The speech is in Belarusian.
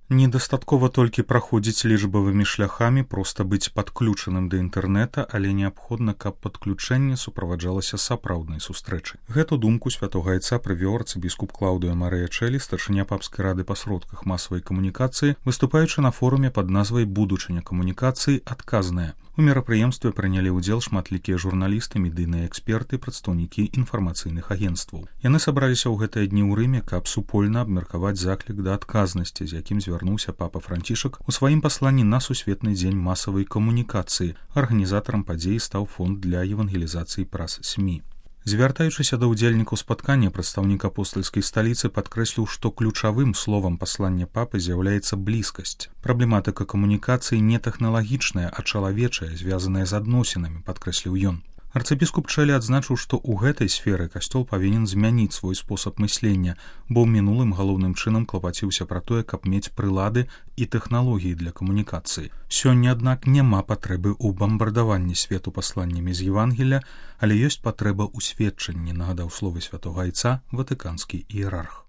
Недастаткова толькі праходзіць лічбавымі шляхамі, проста быць падключаным да інтэрнэта, але неабходна, каб падключэнне суправаджалася сапраўднай сустрэчай. Гэту думку святога айца прывёў арцыбіскуп Клаўдыа Марыя Чэлі, старшыня папскай рады па сродках масавай камунікацыі, выступаючы на форуме пад назвай «Будучыня камунікацыі адказная». У мерапрыемстве прынялі ўдзел шматлікія журналісты, медыйныя эксперты, прадстаўнікі інфармацыйных агенцтваў. Яны сабраліся ў гэтыя дні ў Рыме, каб супольна абмеркаваць заклік да адказнасці, з якім звярнуўся папа Францішак у сваім пасланні на сусветны дзень масавай камунікацыі. Арганізатарам падзеі стаў фонд для евангелізацыі праз СМІ. Звяртаючыся да ўдзельнікаў спаткання, прадстаўнік апостальскай сталіцы падкрэсліў, што ключавым словам паслання папы з'яўляецца блізкасць. Праблематыка камунікацыі не тэхналагічная, а чалавечая, звязаная з адносінамі, падкрэсліў ён. Арцыбіскуп Чэлі адзначыў, што ў гэтай сферы касцёл павінен змяніць свой спосаб мыслення, бо ў мінулым галоўным чынам клапаціўся пра тое, каб мець прылады і тэхналогіі для камунікацыі. Сёння, аднак, няма патрэбы ў бамбардаванні свету пасланнямі з Евангелля, але ёсць патрэба ў сведчанні, нагадаў словы святога айца ватыканскі іерарх.